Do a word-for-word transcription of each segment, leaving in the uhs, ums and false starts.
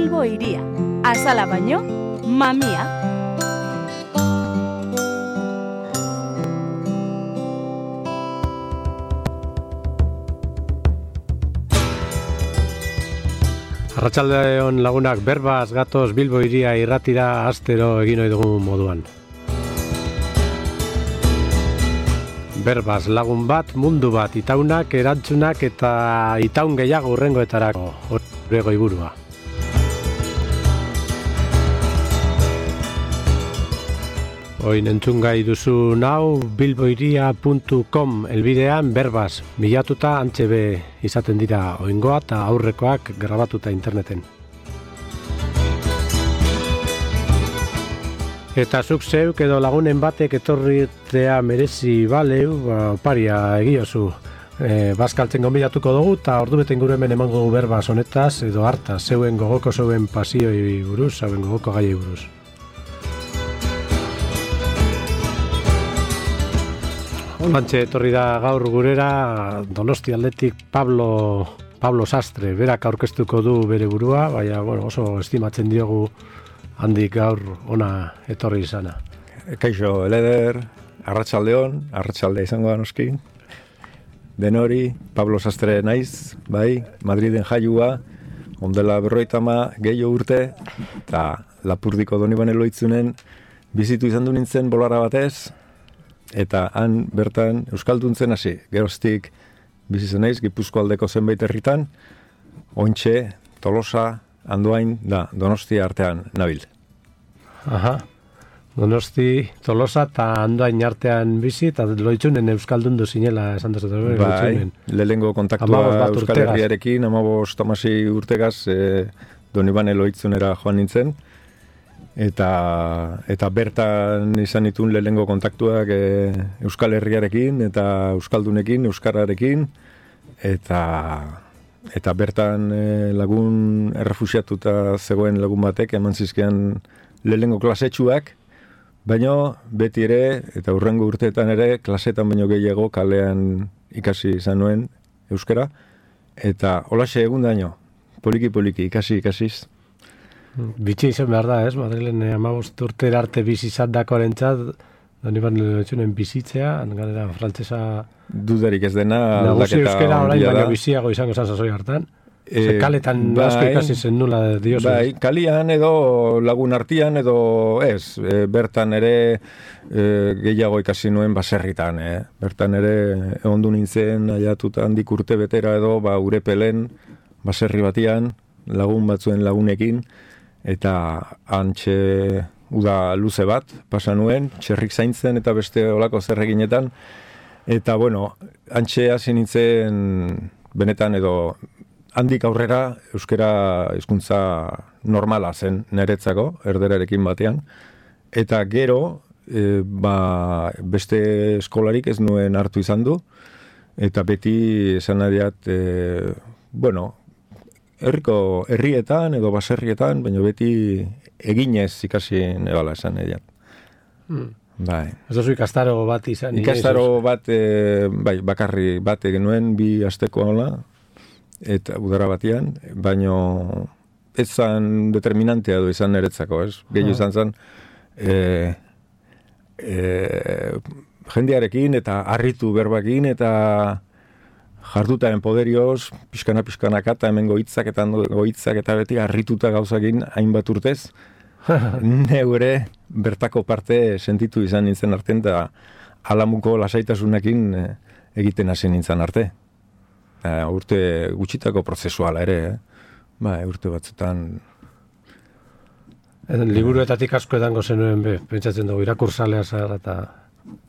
Bilbo iria. Azala baino, mamia. Arratsaldeon lagunak, berbaz gatoz Bilbo iria irratira astero egin ohi dugun moduan. Berbaz lagun bat, mundu bat, itaunak, erantzunak eta itaun gehiago hurrengoetarako gure goiburua. Oin entzungai duzu nau bilboiria puntu com elbidean berbaz bilatuta antxe be izaten dira oingoa eta aurrekoak grabatuta interneten. Eta zuk zeuk edo lagunen batek etorritea merezi baleu, ba, paria egiozu. E, Bazkaltzen gonbidatuko dugu eta ordu beten gure hemen emango dugu berbaz honetaz edo hartaz, zeuen gogoko zeuen pasioi buruz, zeuen gogoko gaiei buruz. Olantxe etorri da gaur gurera Donosti aldetik Pablo, Pablo Sastre, berak aurkeztuko du bere burua, baina bueno, oso estimatzen diogu handik gaur ona etorri izana. Kaixo, Eleder, arratsaldeon, arratsalde izango da noski. Denori, Pablo Sastre naiz, bai, Madriden jaiua, ondela berroitama gehiago urte, eta Lapurdiko Donibane Loitzunen bizitu izan du nintzen bolara batez, eta han bertan euskalduntzen hasi. Geroztik bizi zen naiz Gipuzko aldeko zenbait herritan, Ontxe, Tolosa, Andoain da Donostia artean nabil. Aha. Donosti, Tolosa eta Andoain artean bizi eta Loitzunen euskaldundu zinela esan dut. Bai, lehengo kontaktua Euskal Herriarekin, amabost amasi urtegaz e, Donibane Loitzunera joan nintzen. Eta, eta bertan izan ditun lehengo kontaktuak e, Euskal Herriarekin eta Euskaldunekin, Euskararekin, eta, eta bertan e, lagun errefusiatuta zegoen lagun batek eman zizkian lehengo klasetxuak, baina beti ere, eta hurrengo urteetan ere, klasetan baino gehiago kalean ikasi izan nuen euskara, eta holaxe egun daño, poliki-poliki ikasi ikasiz. Bitxi izan behar da, ez? Madrilen hamabost urtera arte bizi izan dakoarentzat, Donibane Loitzunen bizitzea, galera frantsesa dudarik ez dena nagusi euskara orain baino biziago izango zan sasoi hartan. E, kaletan bai, asko ikasi zen nula diozu. Bai, kalian edo lagun artian edo ez, e, bertan ere e, gehiago ikasi nuen baserritan, eh? Bertan ere egondu nintzen aiatuta handik urte betera edo ba Urepelen baserri batian lagun batzuen lagunekin, eta antxe uda luze bat pasa nuen, txerrik zaintzen eta beste olako zerreginetan, eta bueno, antxe hasi nintzen benetan edo handik aurrera euskara hizkuntza normala zen niretzako, erderarekin batean, eta gero e, ba, beste eskolarik ez nuen hartu izan du, eta beti esan adiat, e, bueno, herriko herrietan edo baserrietan, baina beti eginez ikasi nebala esan ediat. Hmm. Bai. Ez dozu ikastaro bat izan? Ikastaro bat, e, bai, bakarri bat egin nuen, bi asteko hola, eta udara batian, baina ez zan determinantea du izan niretzako, ez? Gehiago izan zan, e, e, jendearekin eta harritu berbakin eta jardutaren poderioz, pixkana-pixkanaka eta hemen goitzak eta goitzak eta beti harrituta gauzakin hainbat urtez, neure bertako parte sentitu izan nintzen artean eta alamuko lasaitasunekin egiten hasi nintzen arte. E, urte gutxitako prozesuala ere, eh? Ba, urte batzutan... Liburuetatik asko edango zenuen be, pentsatzen dugu, irakursalea zara eta...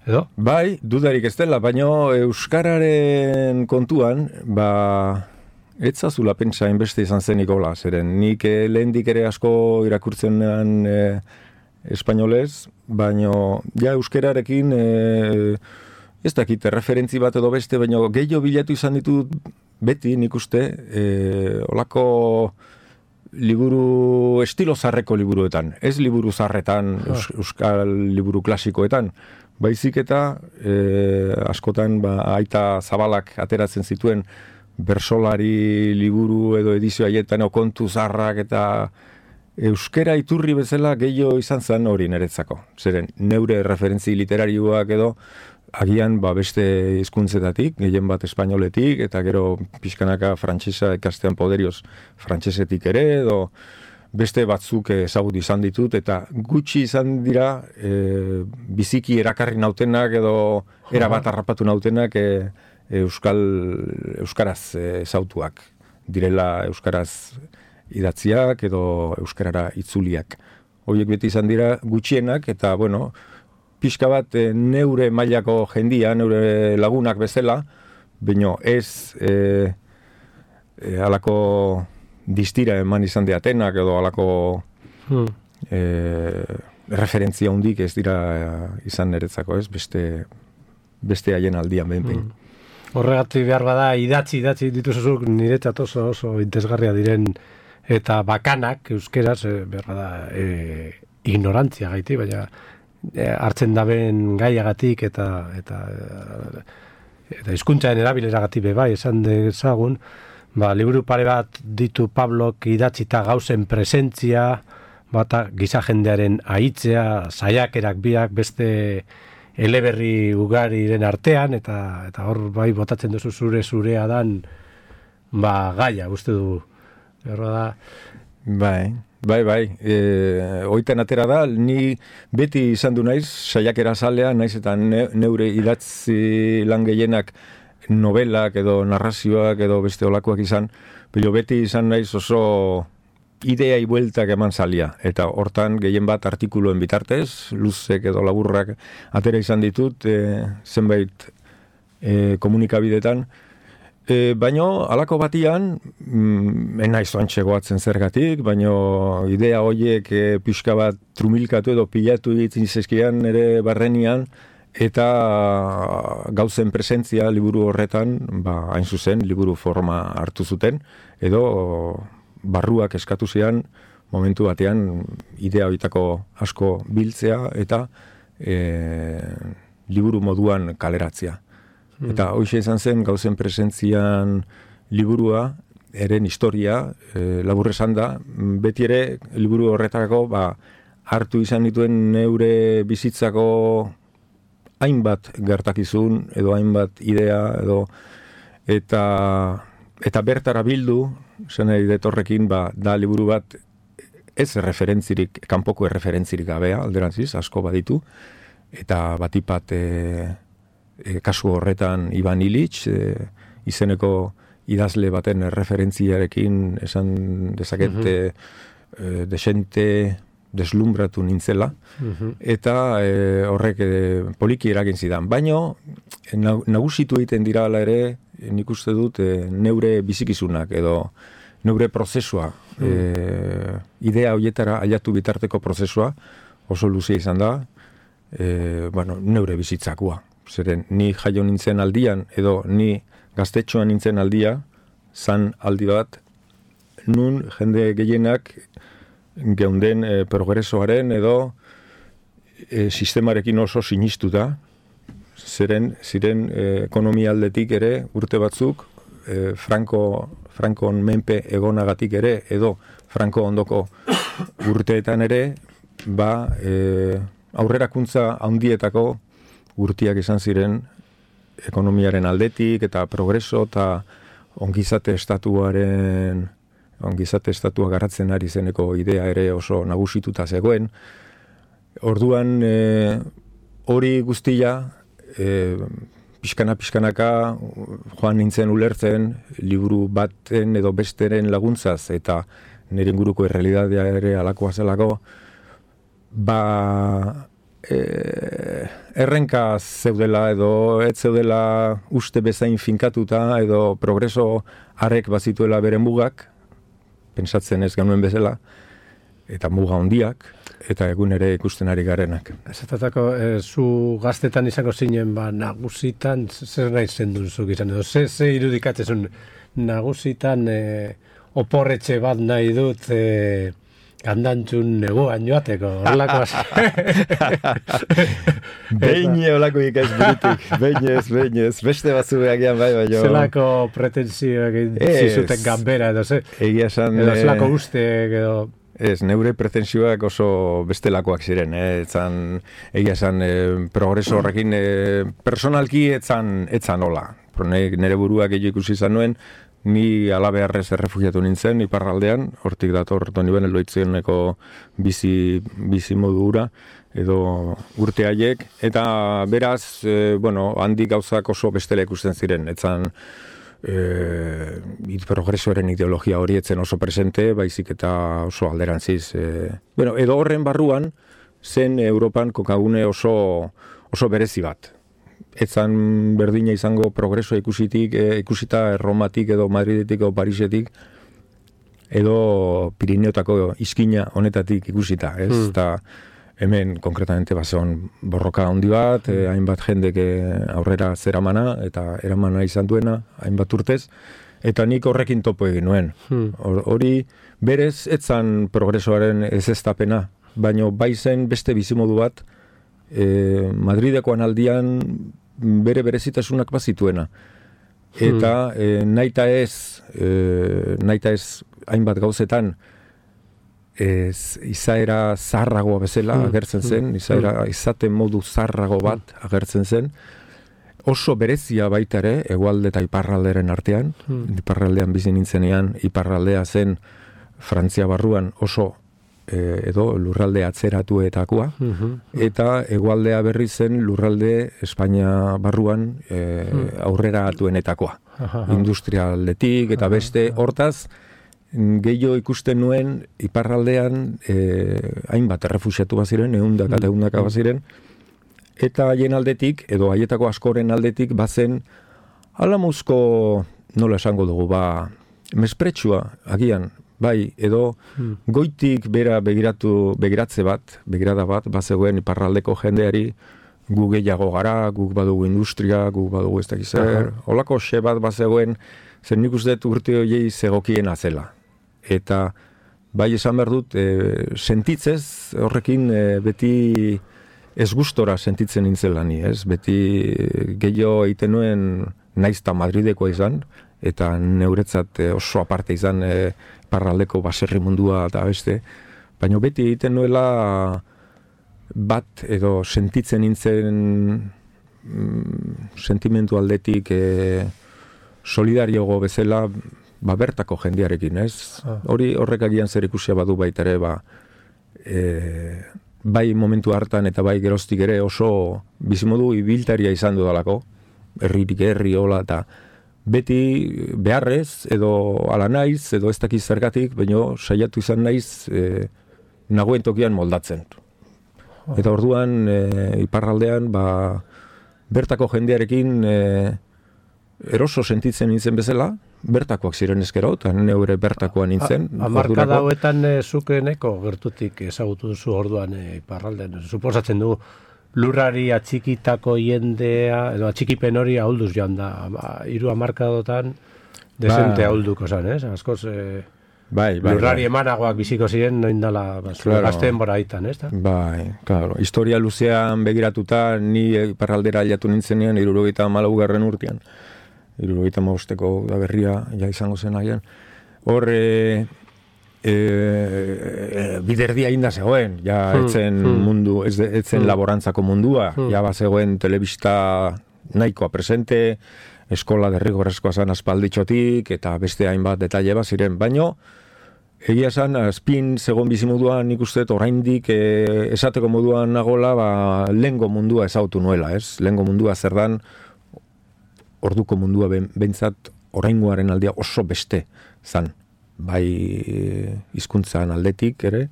Edo? Bai, dudarik ez dela, baina euskararen kontuan, ba, etzazula pentsa inbeste izan zen hola, zeren nik eh, lehendik ere asko irakurtzenan eh, espainolez, baina ja euskararekin eh, ez dakit, referentzi bat edo beste, baina gehiago bilatu izan ditut beti nik uste, eh, olako liburu, estilo zarreko liburuetan, ez liburu zarretan, eus, euskal liburu klasikoetan, baizik eta e, askotan ba, aita zabalak ateratzen zituen bersolari liburu edo edizio haietan o kontu zarrak eta euskera iturri bezala gehiago izan zen hori niretzako. Zeren, neure referentzi literarioak edo agian ba, beste hizkuntzetatik, gehien bat espainoletik, eta gero pixkanaka frantsesa ikastean poderioz frantsesetik ere, edo beste batzuk ezagut izan ditut, eta gutxi izan dira e, biziki erakarri nautenak edo erabat harrapatu nautenak e, euskal, euskaraz ezautuak. Direla euskaraz idatziak edo euskarara itzuliak. Horiek beti izan dira gutxienak, eta bueno, pixka bat e, neure mailako jendia, neure lagunak bezala, baino ez e, e, alako distira eman izan diatenak edo alako hmm. e, referentzia hundik ez dira izan niretzako, ez? Beste, beste haien aldian behin-behin. Hmm. Horregatik behar bada idatzi, idatzi dituzuzuk niretzat oso oso interesgarria diren eta bakanak euskeraz e, behar bada e, ignorantzia gaiti, baina e, hartzen daben gaiagatik eta eta eta hizkuntzaren erabileragatik be bai esan dezagun. Ba, liburu pare bat ditu Pablok idatzita gauzen presentzia, bata giza jendearen ahitzea, saiakerak biak beste eleberri ugariren artean, eta eta hor bai botatzen duzu zure zurea dan ba, gaia, uste du. Erro da. Bai, bai, bai. E, oiten atera da, ni beti izan du naiz, saiakera zalea, naiz eta ne, neure idatzi lan gehienak novelak edo narrazioak edo beste olakoak izan, pero beti izan naiz oso idea bueltak eman zalia, eta hortan gehien bat artikuluen bitartez, luzek edo laburrak atera izan ditut, e, zenbait e, komunikabidetan, e, baino alako batian, mm, enaiz oantxegoatzen zergatik, baino idea horiek e, pixka bat trumilkatu edo pilatu ditzen zizkian ere barrenian, eta gauzen presentzia liburu horretan, ba, hain zuzen, liburu forma hartu zuten, edo barruak eskatu zian, momentu batean idea horietako asko biltzea, eta e, liburu moduan kaleratzea. Hmm. Eta hoxe izan zen gauzen presentzian liburua, eren historia, e, labur esan da, beti ere liburu horretako ba, hartu izan dituen neure bizitzako hainbat gertakizun edo hainbat idea edo eta eta bertara bildu zen editorrekin ba da liburu bat ez referentzirik, kanpoko referentzirik gabea alderantziz asko baditu eta batipat e, e, kasu horretan Ivan Illich e, izeneko idazle baten referentziarekin esan dezaket mm-hmm. e, desente deslumbratu nintzela, uh-huh. eta e, horrek e, poliki eragin zidan. Baino, nagusitu egiten dira ala ere, nik uste dut, e, neure bizikizunak edo neure prozesua, uh-huh. e, idea horietara aiatu bitarteko prozesua, oso luzea izan da, e, bueno, neure bizitzakua. Zeren, ni jaio nintzen aldian, edo ni gaztetxoan nintzen aldia, zan aldi bat, nun jende gehienak geunden e, progresoaren edo e, sistemarekin oso sinistuta, ziren, ziren e, ekonomia aldetik ere urte batzuk, e, Franco, Frankon menpe egonagatik ere, edo Franco ondoko urteetan ere, ba, e, aurrerakuntza handietako urtiak izan ziren ekonomiaren aldetik, eta progreso, eta ongizate estatuaren ongizate estatua garatzen ari zeneko idea ere oso nagusituta zegoen. Orduan e, hori guztia e, pixkana-pixkanaka joan nintzen ulertzen liburu baten edo besteren laguntzaz eta nire inguruko errealitatea ere alakoa zelako ba e, errenka zeudela edo ez zeudela uste bezain finkatuta edo progreso harek bazituela beren mugak pentsatzen ez genuen bezala, eta muga hondiak, eta egun ere ikusten ari garenak. Esatatako, e, zu gaztetan izango zinen, ba, nagusitan, zer nahi zendun zuk izan, edo, ze, ze irudikatzen nagusitan e, oporretxe bat nahi dut, e, Gandantzun neguan joateko, horlakoaz. Behin olako ikaz burutik, behin ez, behin ez, beste batzu behagian bai, bai, jo. Zelako pretensioak zizuten gambera, edo ze? Egia esan... Edo zelako uste, edo... Ez, neure pretensioak oso bestelakoak ziren, eh? Etzan, egia esan, eh, progreso horrekin, eh, personalki etzan, etzan hola. Nere buruak egin ikusi izan nuen, ni alabeharrez errefugiatu nintzen, iparraldean, hortik dator Toni Benel loitzioneko bizi, bizi modu hura, edo urte haiek, eta beraz, e, bueno, handik gauzak oso bestela ikusten ziren, etzan e, progresoaren ideologia hori etzen oso presente, baizik eta oso alderantziz. E, bueno, edo horren barruan, zen Europan kokagune oso, oso berezi bat. Etzan berdina izango progresoa ikusitik, e, ikusita Romatik edo Madridetik edo Parisetik, edo Pirineotako izkina honetatik ikusita, ez? Hmm. Eta hemen konkretamente bazeon borroka handi bat, e, hainbat jendek aurrera zeramana, eta eramana izan duena, hainbat urtez, eta nik horrekin topo egin nuen. Hmm. Hori berez, etzan progresoaren ez eztapena, baino bai zen beste bizimodu bat, e, Madridekoan aldian bere berezitasunak bazituena. Eta hmm. e, naita ez, e, naita ez hainbat gauzetan, ez, izaera zarragoa bezala hmm. agertzen zen, izaera izaten modu zarrago bat agertzen zen, oso berezia baita ere, hegoalde eta iparralderen artean, hmm. iparraldean bizi nintzenean, iparraldea zen Frantzia barruan oso edo lurralde atzeratuetakoa, uh-huh. eta hegoaldea berri zen lurralde Espainia barruan e, uh-huh. aurrera atuenetakoa. Uh-huh. Industrialdetik eta beste hortaz, gehiago ikusten nuen iparraldean e, hainbat errefuxiatu baziren, ehundak eta ehundaka baziren, eta haien aldetik, edo haietako askoren aldetik, bazen alamuzko, nola esango dugu, ba, mespretsua, agian, bai, edo hmm. goitik bera begiratu, begiratze bat, begirada bat, bazegoen iparraldeko jendeari, gu gehiago gara, guk badugu industria, guk badugu ez dakiz zer, holako xe bat bazegoen, zer nik uste urte horiei zegokien azela. Eta bai esan behar dut, e, sentitzez horrekin e, beti ez gustora sentitzen nintzela ni, ez? Beti gehiago egiten nuen naizta Madridekoa izan, eta neuretzat oso aparte izan e, parraldeko baserri mundua eta beste, baina beti egiten nuela bat edo sentitzen nintzen mm, sentimentu aldetik e, solidariogo bezala ba, bertako jendearekin, ez? Ah. Hori horrek agian zer ikusia badu baita ere, ba, e, bai momentu hartan eta bai geroztik ere oso bizimodu ibiltaria izan dudalako, herririk herri hola eta beti beharrez, edo ala naiz, edo ez dakiz zergatik, baina saiatu izan naiz e, nagoen tokian moldatzen. Eta orduan, e, iparraldean, ba, bertako jendearekin e, eroso sentitzen nintzen bezala, bertakoak ziren ezkero, eta neure bertakoa nintzen. Amarkada hauetan e, zukeneko gertutik ezagutu duzu orduan e, iparraldean. Suposatzen du, lurrari atxikitako jendea, edo atxikipen hori ahulduz joan da. Hiru hamarkadotan desente ba, ahulduko zan, ez? Askoz, e, bai, bai, lurrari bai. Emanagoak biziko ziren, noin dala, claro. Gazteen bora hitan, ez? Bai, claro. Historia luzean begiratuta, ni iparraldera aldatu nintzenean, hirurogeita hamalaugarren urtean. Hirurogeita hamabosteko da berria, ja izango zen haien. Hor, e, E, e, biderdia inda zegoen, ja etzen hmm, mundu, ez etzen hmm. laborantzako mundua, hmm. ja bazegoen telebista nahikoa presente, eskola derrigorrezkoa zan aspalditxotik, eta beste hainbat detaile bat ziren, baino, egia zan, azpin zegoen bizimuduan nik uste, oraindik e, esateko moduan nagola, ba, lehengo mundua ezautu nuela, ez? Lehengo mundua zer dan, orduko mundua behintzat oraingoaren aldia oso beste zan. Bai hizkuntzan aldetik ere,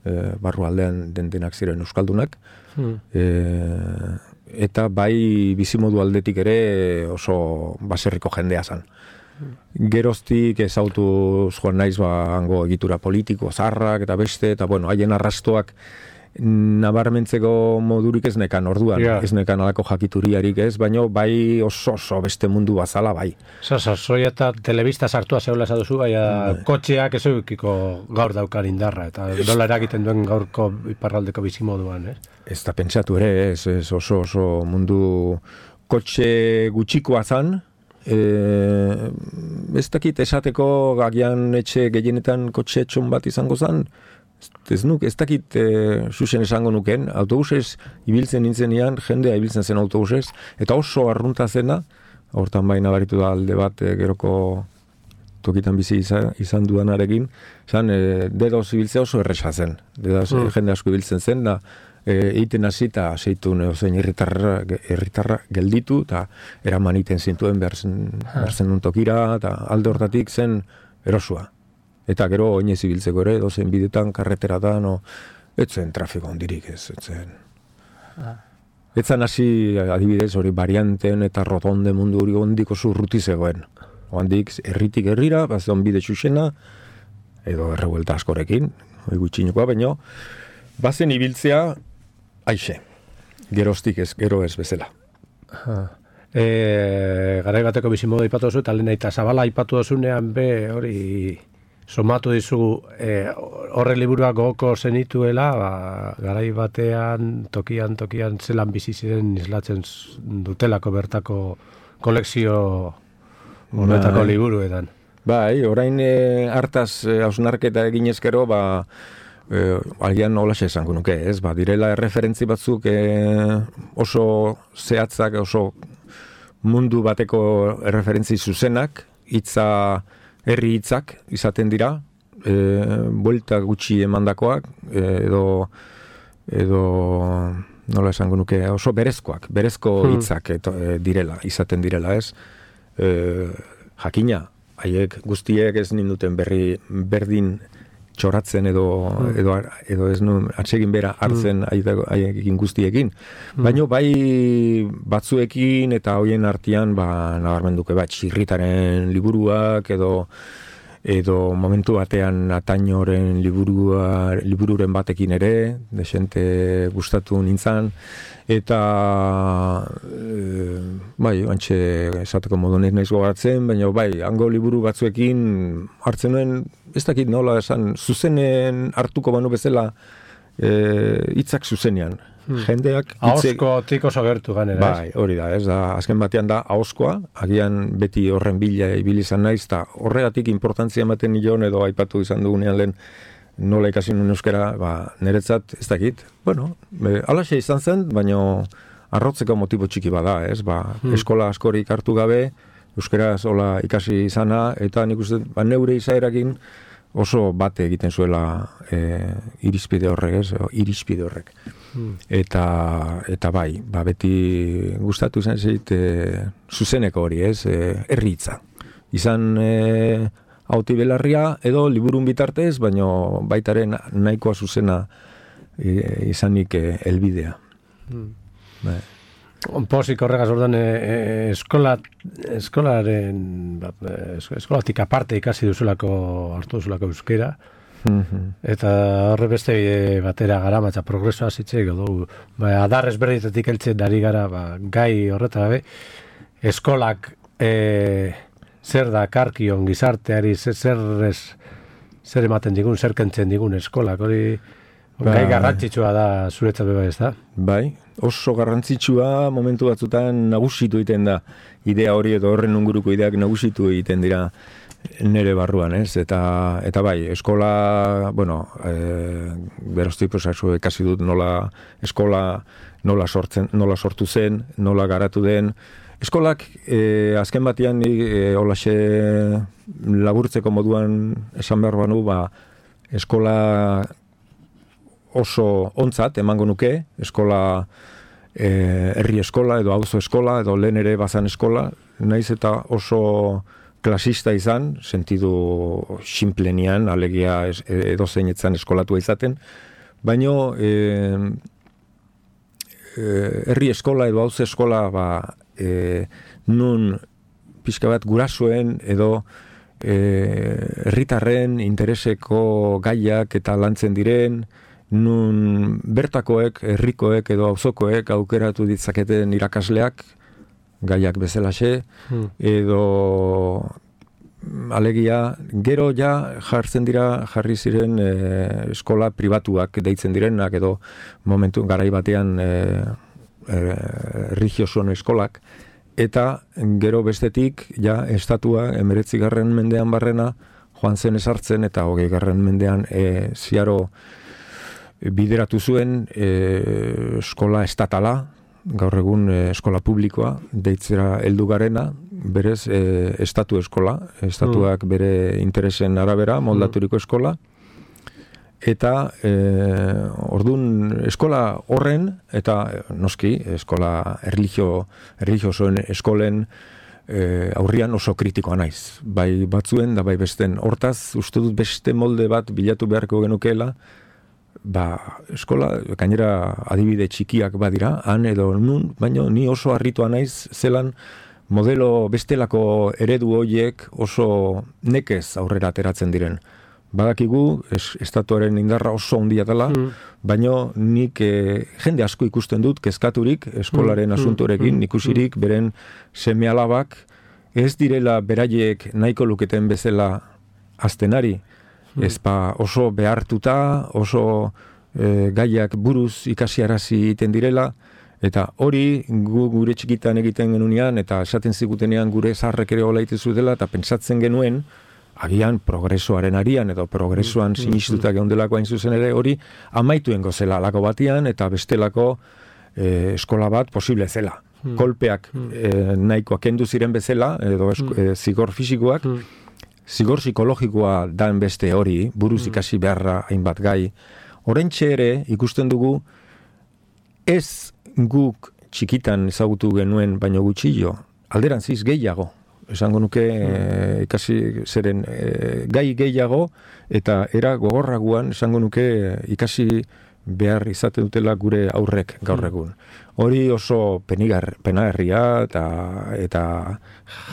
e, barru aldean den denak ziren euskaldunak, hmm. e, eta bai bizimodu aldetik ere oso baserriko jendea zan. Hmm. Geroztik ezautu joan naiz ba, hango egitura politiko, zarrak eta beste, eta bueno, haien arrastoak nabarmentzeko modurik ez nekan orduan, Ja. ez nekan alako jakituriarik ez, baino bai oso oso beste mundu bazala bai. Zasa, zoi eta telebista sartua zeula esaduzu, baina kotxeak ez eukiko gaur daukar indarra, eta dola eragiten duen gaurko iparraldeko bizimoduan, ez? Ez da pentsatu ere, ez, ez oso oso mundu kotxe gutxikoa zan, e, ez dakit esateko agian etxe gehienetan kotxe txon bat izango zan, ez nuk, ez dakit e, xuxen esango nuken, autobusez ibiltzen nintzenean, jendea ibiltzen zen autobusez, eta oso arrunta zena, hortan baina baritu da alde bat e, geroko tokitan bizi izan, izan duanarekin, zan, e, dedoz ibiltzea oso erresa zen, dedoz mm. jende asko ibiltzen zen, da, egiten hasi eta zeitu neozein herritarra herritarra gelditu eta eraman iten zintuen behar zen, behar zen untokira eta alde hortatik zen erosua. Eta gero oinez ibiltzeko ere, dozen bidetan, karreteratan, no, etzen trafiko ondirik ez, etzen. Etzan hasi adibidez hori varianten eta rotonde mundu hori ondiko zurruti zegoen. Ondik herritik herrira, bazen bide txuxena, edo errebuelta askorekin, hori gutxinekoa, baino, bazen ibiltzea aixe, geroztik ez, gero ez bezala. E, garai bateko bizimodu aipatu duzu, eta lehen eta zabala aipatu duzunean be, hori somatu dizu e, horre liburuak gogoko zenituela, ba, garai batean, tokian, tokian zelan bizi ziren islatzen dutelako bertako kolekzio honetako bai. Liburuetan. Bai, orain e, hartaz e, hausnarketa eginezkero, ba, Eh, agian nolaxe esango nuke, ez? Ba, direla erreferentzi batzuk eh, oso zehatzak, oso mundu bateko erreferentzi zuzenak, hitza herri hitzak izaten dira, eh, buelta gutxi emandakoak, eh, edo edo nola esango nuke, oso berezkoak, berezko hitzak eto, eh, direla, izaten direla, ez? Eh, jakina, haiek guztiek ez ninduten berri berdin txoratzen edo, mm. edo, edo ez nun atsegin bera hartzen mm. haiekin guztiekin. Mm. Baina bai batzuekin eta hoien artean ba, nabarmenduke bat txirritaren liburuak edo edo momentu batean Atañoren liburua, libururen batekin ere, desente gustatu nintzan, eta e, bai, antxe esateko modu naiz naiz gogatzen, baina bai, hango liburu batzuekin hartzen nuen, ez dakit nola esan, zuzenen hartuko banu bezala hitzak e, zuzenean. Hmm. Jendeak ahozko tiko sogertu ganera. Bai, hori da, ez da, azken batean da ahozkoa, agian beti horren bila ibili izan naiz, eta horregatik importantzia ematen nion edo aipatu izan dugunean lehen nola ikasi nuen euskara, ba, niretzat ez dakit, bueno, e, alaxe izan zen, baina arrotzeko motibo txiki bada, ez, ba, hmm. eskola askorik hartu gabe, euskaraz hola ikasi izana, eta nik uste, ba, neure izaerakin oso bate egiten zuela e, irizpide horrek, ez, o, irizpide horrek. Hmm. Eta, eta bai, ba, beti gustatu izan zeit e, zuzeneko hori, ez, e, erritza. Izan e, hauti belarria edo liburun bitartez, baino baitaren nahikoa zuzena e, izanik e, elbidea. Hmm. Bai. Onpozik horregaz ordan e, e, eskola, eskolaren ba, eskolatik aparte ikasi duzulako, hartu duzulako euskera, mm-hmm. eta horre beste batera gara, matza progresoa zitzeik, edo, ba, adar ezberditetik heltzen dari gara, ba, gai horreta gabe, eskolak e, zer da karkion gizarteari, zer, zer, ez, zer ematen digun, zer kentzen digun eskolak, hori ba, gai garrantzitsua da zuretzat beba ez da? Bai, oso garrantzitsua momentu batzutan nagusitu egiten da idea hori edo horren inguruko ideak nagusitu egiten dira nere barruan, ez? Eta, eta bai, eskola, bueno, e, beroztik prozesu ekasi dut nola eskola nola sortzen, nola sortu zen, nola garatu den. Eskolak e, azken batean e, holaxe laburtzeko moduan esan behar banu, ba, eskola oso ontzat emango nuke, eskola e, herri eskola edo auzo eskola edo lehen ere bazan eskola, naiz eta oso klasista izan, sentidu sinplenian, alegia edo zeinetzan eskolatua izaten, baino e, e, herri eskola edo auzo eskola ba, e, nun pixka bat gurasoen edo herritarren e, intereseko gaiak eta lantzen diren, nun bertakoek, herrikoek edo auzokoek aukeratu ditzaketen irakasleak, gaiak bezalaxe, hmm. edo alegia, gero ja jartzen dira, jarri ziren e, eskola pribatuak deitzen direnak, edo momentu garai batean e, e, religiosoen eskolak, eta gero bestetik, ja, estatua, emeretzigarren mendean barrena, joan zen esartzen, eta hogei garren mendean e, ziaro bideratu zuen e, eskola estatala, gaur egun e, eskola publikoa, deitzera heldu garena, berez e, estatu eskola, estatuak mm. bere interesen arabera, moldaturiko eskola, eta e, ordun eskola horren, eta noski, eskola erlijio, erlijiosoen eskolen e, aurrian oso kritikoa naiz. Bai batzuen, da bai besten. Hortaz, uste dut beste molde bat bilatu beharko genukeela, ba, eskola, gainera adibide txikiak badira, han edo nun, baina ni oso harritua naiz zelan modelo bestelako eredu horiek oso nekez aurrera ateratzen diren. Badakigu, es, estatuaren indarra oso handia dela, mm. baina nik e, jende asko ikusten dut kezkaturik eskolaren mm. asuntorekin, mm. ikusirik beren seme-alabak ez direla beraiek nahiko luketen bezala aztenari. Mm. Ez ba oso behartuta, oso e, gaiak buruz ikasiarazi egiten direla, eta hori gu, gure txikitan egiten genunean, eta esaten zigutenean gure zaharrek ere hola itezu dela, eta pentsatzen genuen, agian progresoaren arian, edo progresoan mm. sinistutak geundelako hain zuzen ere, hori amaituen gozela alako batian, eta bestelako e, eskola bat posible zela. Mm. Kolpeak mm. e, nahikoak kendu ziren bezala, edo esko, mm. e, zigor fisikoak, mm. zigor psikologikoa dan beste hori, buruz ikasi beharra hainbat gai. Oraintxe ere ikusten dugu ez guk txikitan ezagutu genuen baino gutxillo, alderantziz gehiago. Esango nuke e, ikasi zeren e, gai gehiago eta era gogorraguan esango nuke ikasi behar izate dutela gure aurrek gaur egun. Hori oso penigar, penagarria eta, eta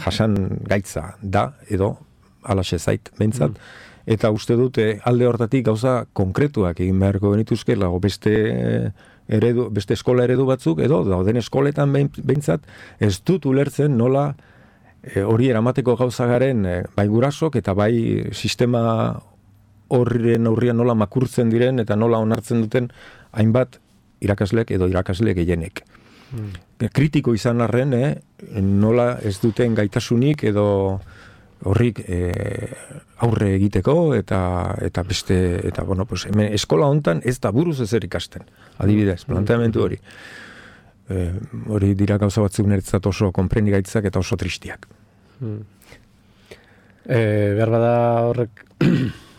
jasan gaitza da edo alaxe zait, behintzat, mm. eta uste dute alde hortatik gauza konkretuak egin beharko genituzkela, beste eredu, beste eskola eredu batzuk, edo dauden eskoletan behintzat, ez dut ulertzen nola e, hori eramateko gauza garen e, bai gurasok eta bai sistema horren aurrian nola makurtzen diren eta nola onartzen duten hainbat irakaslek edo irakasle gehienek. Mm. Kritiko izan arren, eh, nola ez duten gaitasunik edo horrik e, aurre egiteko eta eta beste eta bueno, pues hemen eskola hontan ez da buruz ezer ikasten. Adibidez, planteamendu hori. E, hori dira gauza batzuk niretzat oso konprendigaitzak eta oso tristiak. Hmm. E, behar bada horrek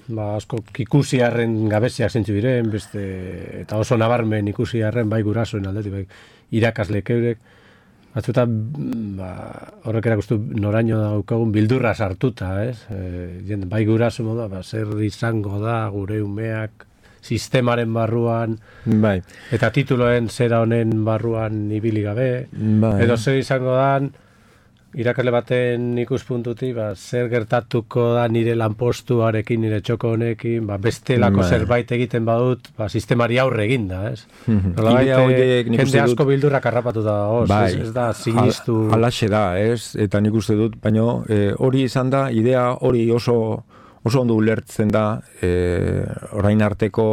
ba, asko ikusi harren gabeziak zentzu diren, beste, eta oso nabarmen ikusi harren bai gurasoen aldetik, bai irakasleek eurek, batzuta ba, horrek erakustu noraino daukagun bildurra sartuta, ez? E, bai guraso moda, ba, zer izango da gure umeak sistemaren barruan, bai. Eta tituloen zera honen barruan ibili gabe, bai. Edo zer izango dan irakasle baten ikuspuntutik, ba, zer gertatuko da nire lanpostuarekin, nire txoko honekin, ba, bestelako bai. Zerbait egiten badut, ba, sistemari aurre egin da, ez? Idea horiek nik uste dut... Jende asko bildurrak harrapatu da, oz, bai. ez, ez da, sinistu... Al, alaxe da, ez? Eta nik uste dut, baina e, hori izan da, idea hori oso, oso ondo ulertzen da, e, orain arteko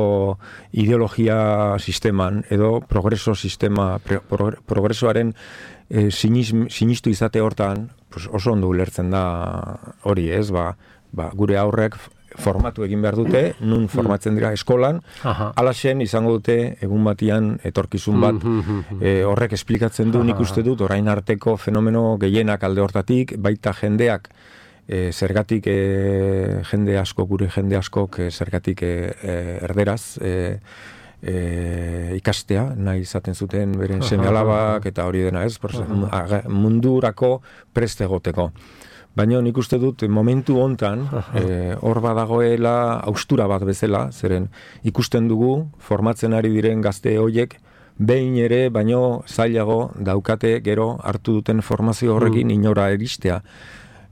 ideologia sisteman, edo progreso sistema, pro, progresoaren E, sinis, sinistu izate hortan pues oso ondo ulertzen da hori, ez, ba, ba, gure aurrek formatu egin behar dute, nun formatzen dira eskolan, alaxen izango dute egun batian etorkizun bat, e, horrek esplikatzen du, nik uste dut, orain arteko fenomeno gehienak alde hortatik, baita jendeak, e, zergatik e, jende asko, gure jende askok, e, zergatik e, e, erderaz, e, E, ikastea, nahi izaten zuten beren seme-alabak eta hori dena ez, mundurako preste egoteko. Baina nik uste dut momentu hontan e, hor badagoela haustura bat bezala, zeren ikusten dugu formatzen ari diren gazte hoiek behin ere, baino zailago daukate gero hartu duten formazio horrekin inora eristea.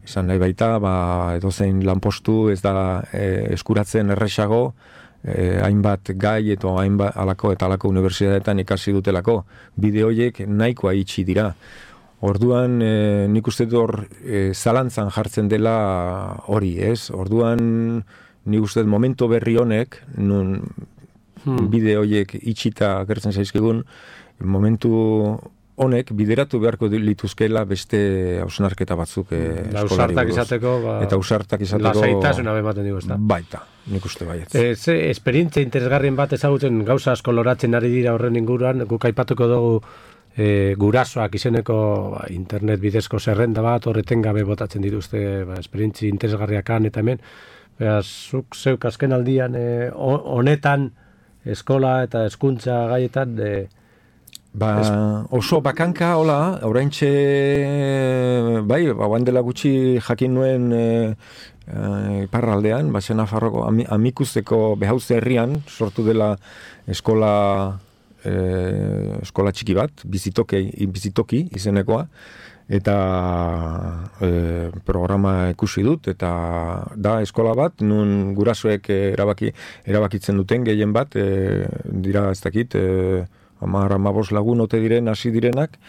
Esan nahi baita, ba, edozein lanpostu ez da e, eskuratzen erresago, eh, hainbat gai eta hainbat alako eta alako unibertsitateetan ikasi dutelako. Bide horiek nahikoa itxi dira. Orduan, e, nik uste dut hor e, zalantzan jartzen dela hori, ez? Orduan, nik uste dut momento berri honek, nun hmm. bide horiek itxita gertzen zaizkigun, momentu honek bideratu beharko lituzkela beste hausnarketa batzuk e, eskolari buruz. Izateko, ba, eta ausartak izateko... Lasaitasuna bematen digu, ez da? Baita, nik uste baietz. E, ze, esperientzia interesgarrien bat ezagutzen gauza asko loratzen ari dira horren inguruan, guk aipatuko dugu E, gurasoak izeneko ba, internet bidezko zerrenda bat, horreten gabe botatzen dituzte ba, esperientzi interesgarriakan eta hemen. Beraz, zuk zeuk azken aldian e, honetan eskola eta hezkuntza gaietan e, ba, es... oso bakanka, hola, oraintxe bai, ba, dela gutxi jakin nuen e, e, parraldean, ba, Nafarroko ami, amikuzeko behauze herrian sortu dela eskola E, eskola txiki bat, bizitoki, bizitoki izenekoa, eta e, programa ikusi dut, eta da eskola bat, nun gurasoek erabaki, erabakitzen duten gehien bat, e, dira ez dakit, e, hamar hamabos lagun ote diren, hasi direnak,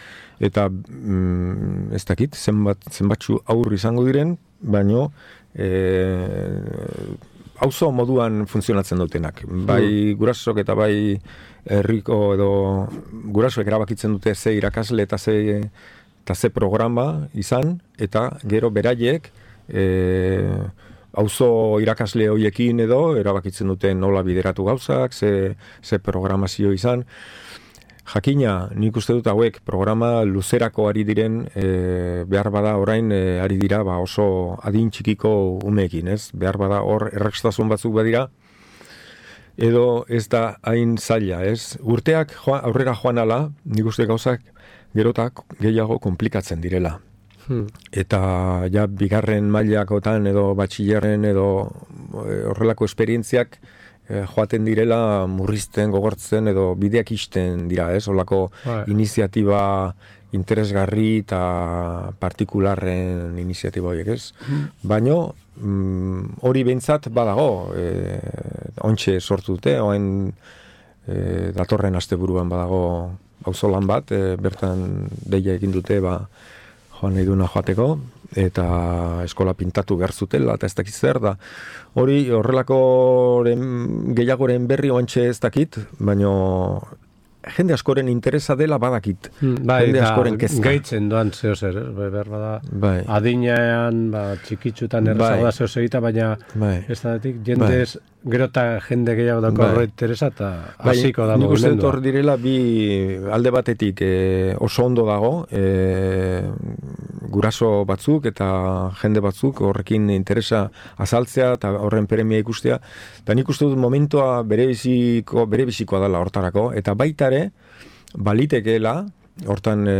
eta mm, ez dakit, zenbat, zenbatxu aurri izango diren, baino, e, auzo moduan funtzionatzen dutenak. Bai gurasok eta bai herriko edo gurasoek erabakitzen dute ze irakasle eta ze, eta ze programa izan, eta gero beraiek e, auzo irakasle hoiekin edo erabakitzen dute nola bideratu gauzak, ze, ze programazio izan. Jakina, nik uste dut hauek programa luzerako ari diren, e, behar bada orain e, ari dira ba oso adin txikiko umeekin, ez? Behar bada hor errekstasun batzuk badira, edo ez da hain zaila, ez? Urteak joan, aurrera joan ala, nik uste gauzak gerotak gehiago komplikatzen direla. Hmm. Eta ja bigarren mailakotan edo batxillerren edo e, horrelako esperientziak joaten direla murrizten, gogortzen edo bideak isten dira, ez? Olako right. iniziatiba interesgarri eta partikularren iniziatiba horiek, ez? Mm. Baino, mm, hori behintzat badago, e, ontxe sortu dute, oain e, datorren asteburuan badago auzolan bat, e, bertan deia egin dute, ba, joan nahi duna joateko, eta eskola pintatu behar zutela, eta ez dakit zer da. Hori horrelako gehiagoren berri oantxe ez dakit, baino jende askoren interesa dela badakit. Bai, jende askoren kezka. Gaitzen doan zeo zer, eh? behar bada bai. Adinean, ba, txikitzutan errazago bai. da zeo segita, baina bai. ez da datik, jendez bai. gero eta jende gehiago dako horre bai. interesa, eta hasiko bai, da mugimendua. Nik uste hor direla bi alde batetik e, oso ondo dago, e, guraso batzuk eta jende batzuk horrekin interesa azaltzea eta horren premia ikustea, eta nik uste dut momentua bere biziko, bere bizikoa dela hortarako, eta baita ere, balitekeela, hortan e,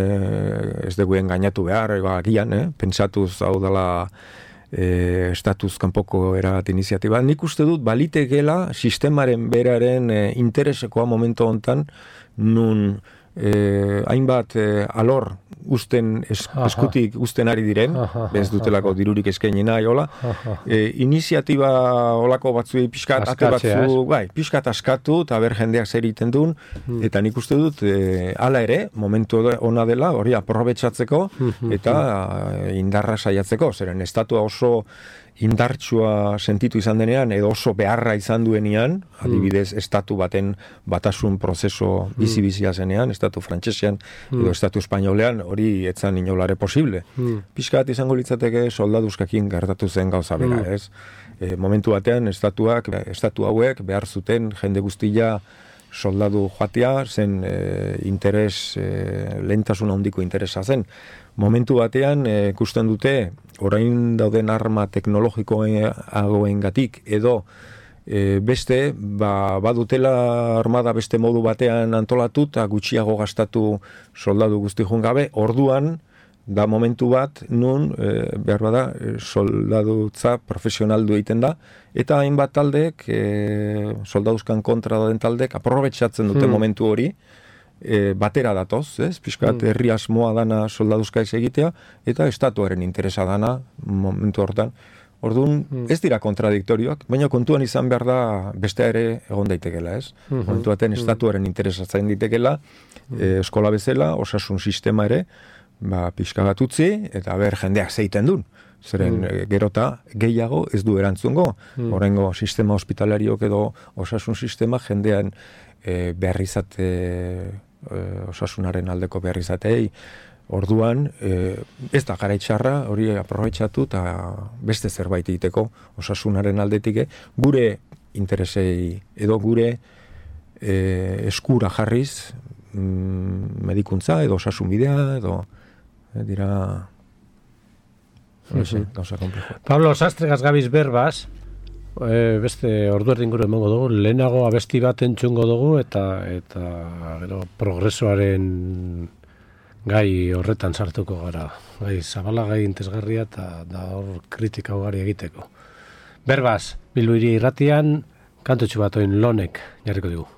ez deguen gainatu behar, eba, gian, eh? pentsatuz hau dela e, estatuz kanpoko erabat iniziatiba. Nik uste dut balitekeela sistemaren beraren e, interesekoa momentu hontan, nun e, hainbat e, alor usten es, eskutik usten ari diren, bez dutelako dirurik eskaini nahi, hola. E, iniziatiba olako batzuei pixkat, ate batzu, bai, pixkat askatu, eta ber jendeak zer egiten duen, hmm. eta nik uste dut, e, ala ere, momentu ona dela, hori aprobetxatzeko, eta e, indarra saiatzeko, zeren estatua oso indartsua sentitu izan denean, edo oso beharra izan duenean, adibidez, estatu baten batasun prozeso bizi-bizia zenean, estatu frantsesean, edo estatu espainolean, hori etzan inolare posible. Piskat izango litzateke soldaduzkakin gertatu zen gauza bera, ez? E, momentu batean, estatuak, estatu hauek behar zuten jende guztia soldadu joatea, zen e, interes, e, lehentasun handiko interesa zen. Momentu batean, e, ikusten dute, orain dauden arma teknologikoengatik edo e, beste, ba, badutela armada beste modu batean antolatu eta gutxiago gastatu soldadu guzti joan gabe, orduan, da momentu bat, nun, e, behar bada, e, soldadutza profesionaldu egiten da, eta hainbat taldek, e, soldaduzkan kontra dauden taldek, aprobetxatzen dute hmm. momentu hori, e, batera datoz, ez? Piskat, hmm. herri asmoa dana soldaduzka ez egitea, eta estatuaren interesa dana, momentu hortan, Orduan, ez dira kontradiktorioak, baina kontuan izan behar da beste ere egon daitekela, ez? Mm-hmm. Kontuaten estatuaren interesatzen ditekela, e, eskola bezala, osasun sistema ere, ba, pixka bat utzi, eta ber jendeak zeiten duen. Zeren mm. gerota gehiago ez du erantzungo. Mm. Horrengo sistema hospitalariok edo osasun sistema jendean e, beharrizate, e, osasunaren aldeko beharrizatei. Orduan, e, ez da gara itxarra, hori aprobetxatu eta beste zerbait egiteko osasunaren aldetik, gure interesei edo gure e, eskura jarriz mm, medikuntza edo osasun bidea edo e, dira... Sí, Pablo Sastregaz gabiz berbaz, e, beste ordu erdinguru emango dugu, lehenago abesti bat entzungo dugu eta eta gero progresoaren gai horretan sartuko gara. Gai zabala, gai intezgarria eta da hor kritika ugari egiteko. Berbaz, Bilbo Hiria Irratian, kantotxu bat oin Lonek jarriko dugu.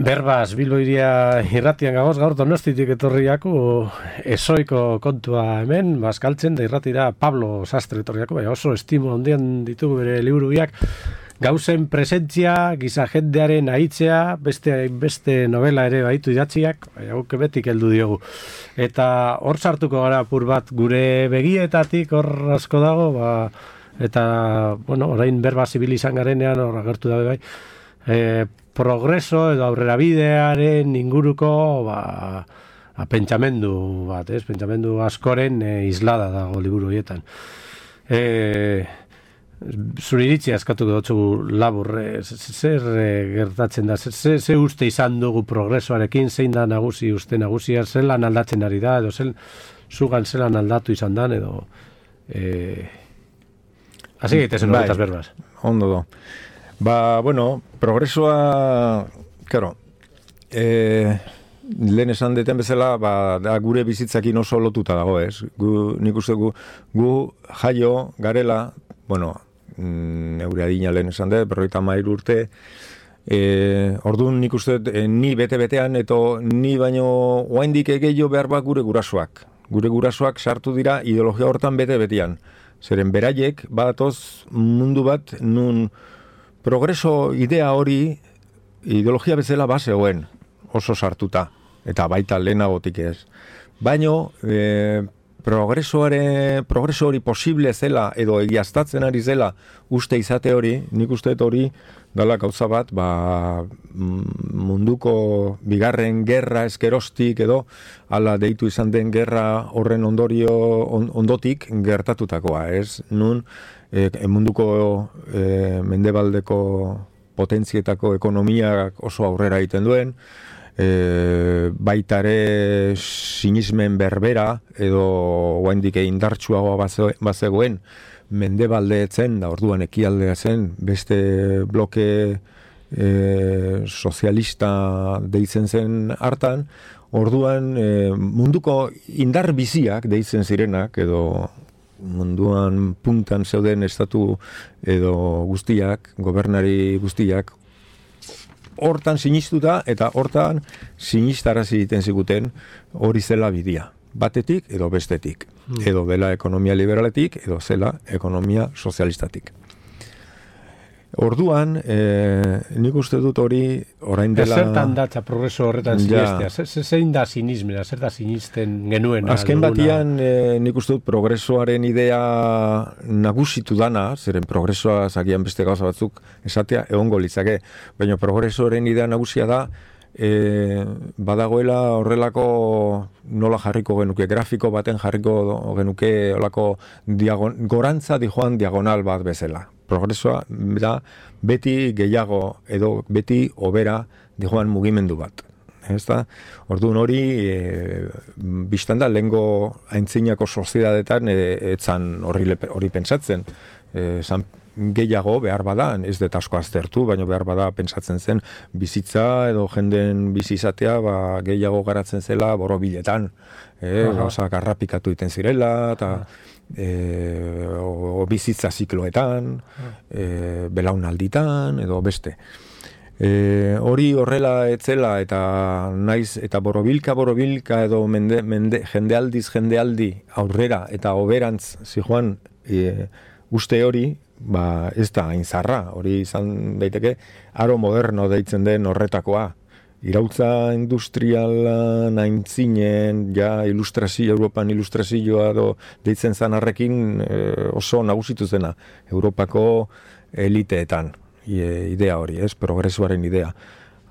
Berbaz, Bilbo Hiria Irratian gagoz, gaur Donostitik etorriako ezoiko kontua hemen, bazkaltzen da irratira Pablo Sastre etorriako, bai, oso estimo handian ditugu bere liburu biak, gauzen presentzia, giza jendearen ahitzea, beste beste novela ere baitu idatziak, baina guk betik heldu diogu. Eta hor sartuko gara apur bat gure begietatik hor asko dago, ba, eta, bueno, orain berba zibil izan garenean hor agertu dabe bai, e, progreso edo aurrera bidearen inguruko, ba, a, pentsamendu bat, ez? Pentsamendu askoren e, islada dago liburu horietan. E, zure iritzi askatuko dutzu labur, e, zer e, gertatzen da, zer, zer uste izan dugu progresoarekin, zein da nagusi uste nagusia, zelan aldatzen ari da, edo zel, zugan zelan aldatu izan dan, edo... E, Hasi gaitezen bai, horretaz berbaz. Ondo do. Ba, bueno, progresoa, claro, e, lehen esan deten bezala, ba, da gure bizitzakin oso lotuta dago, ez? Gu, nik uste gu, gu jaio garela, bueno, neure adina lehen esan dut, berroita mair urte, e, orduan nik uste e, ni bete-betean, eto ni baino oaindik egeio behar bat gure gurasoak. Gure gurasoak sartu dira ideologia hortan bete-betean. Zeren beraiek batoz mundu bat nun progreso idea hori ideologia bezala bazegoen oso sartuta, eta baita lehenagotik ez. Baino e, progresoare, progreso hori posible zela edo egiaztatzen ari zela uste izate hori, nik uste hori dala gauza bat, ba, munduko bigarren gerra eskerostik edo ala deitu izan den gerra horren ondorio on, ondotik gertatutakoa, ez? Nun e, munduko e, mendebaldeko potentzietako ekonomiak oso aurrera egiten duen, e, baitare sinismen berbera edo oraindik indartsuagoa bazegoen mendebalde etzen, da orduan ekialdea zen, beste bloke e, sozialista deitzen zen hartan, orduan e, munduko indar biziak deitzen zirenak, edo munduan puntan zeuden estatu edo guztiak, gobernari guztiak, hortan sinistuta eta hortan sinistarazi egiten ziguten hori zela bidea. Batetik edo bestetik. Hmm. Edo dela ekonomia liberaletik, edo zela ekonomia sozialistatik. Orduan, e, nik uste dut hori orain dela... Zertan datza progreso horretan sinistea? Ja. Zein da sinismena? Zer da sinisten genuen? Azken batian, e, nik uste dut progresoaren idea nagusitu dana, zeren progresoa zagian beste gauza batzuk esatea egongo litzake, baina progresoaren idea nagusia da E, badagoela horrelako nola jarriko genuke, grafiko baten jarriko genuke olako diagon, gorantza dijoan diagonal bat bezala. Progresoa da beti gehiago edo beti hobera dijoan mugimendu bat. Ezta? Orduan hori e, biztan da lehengo aintzinako soziedadetan e, etzan hori, hori pentsatzen. E, zan, gehiago behar bada, ez dut asko aztertu, baina behar bada pentsatzen zen bizitza edo jenden bizi izatea ba, gehiago garatzen zela borobiletan. E, Gauza garrapikatu iten zirela, eta e, o, o bizitza zikloetan, e, belaunalditan, edo beste. E, hori horrela etzela eta naiz eta borobilka borobilka edo mende, mende, jendealdiz jendealdi aurrera eta oberantz zijoan e, uste hori, ba, ez da hain zarra, hori izan daiteke aro moderno deitzen den horretakoa. Irautza industrialan aintzinen, ja ilustrazio, Europan ilustrazioa do deitzen zanarrekin e, oso nagusitu zena Europako eliteetan. Idea hori, ez, progresoaren idea.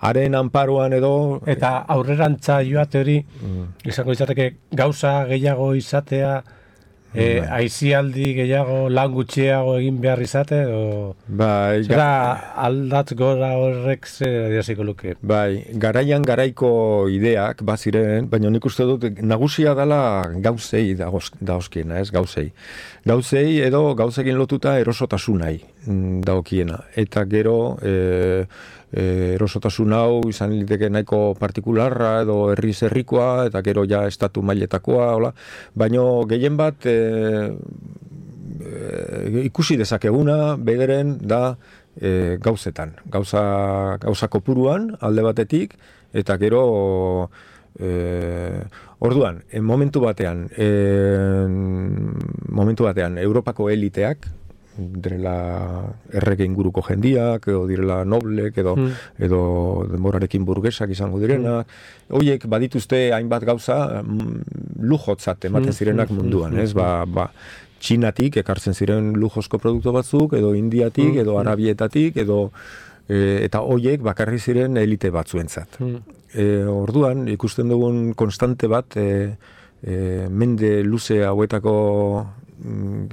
Haren anparoan edo... Eta aurrerantza joate hori, mm. izango izateke gauza gehiago izatea, e, aizialdi gehiago lan gutxiago egin behar izate, o... Bai, zera aldatz gora horrek zer adiaziko luke? Bai, garaian garaiko ideak baziren, baina nik uste dut nagusia dela gauzei dauzkiena, ez, gauzei. Gauzei edo gauzekin lotuta erosotasunai daokiena. Eta gero e, e, erosotasun hau izan liteke nahiko partikularra edo herriz herrikoa eta gero ja estatu mailetakoa, hola. Baina gehien bat e, e, ikusi dezakeguna bederen da e, gauzetan. Gauza, gauza kopuruan alde batetik eta gero... E, orduan, en momentu batean e, momentu batean Europako eliteak direla errege inguruko jendiak, edo direla noblek, edo, mm. edo denborarekin burgesak izango direnak. Horiek badituzte hainbat gauza lujotzat ematen zirenak munduan, ez? Ba, ba, Txinatik ekartzen ziren lujozko produktu batzuk, edo Indiatik, edo Arabietatik, edo e, eta horiek bakarri ziren elite batzuentzat. E, orduan, ikusten dugun konstante bat, e, e, mende luze hauetako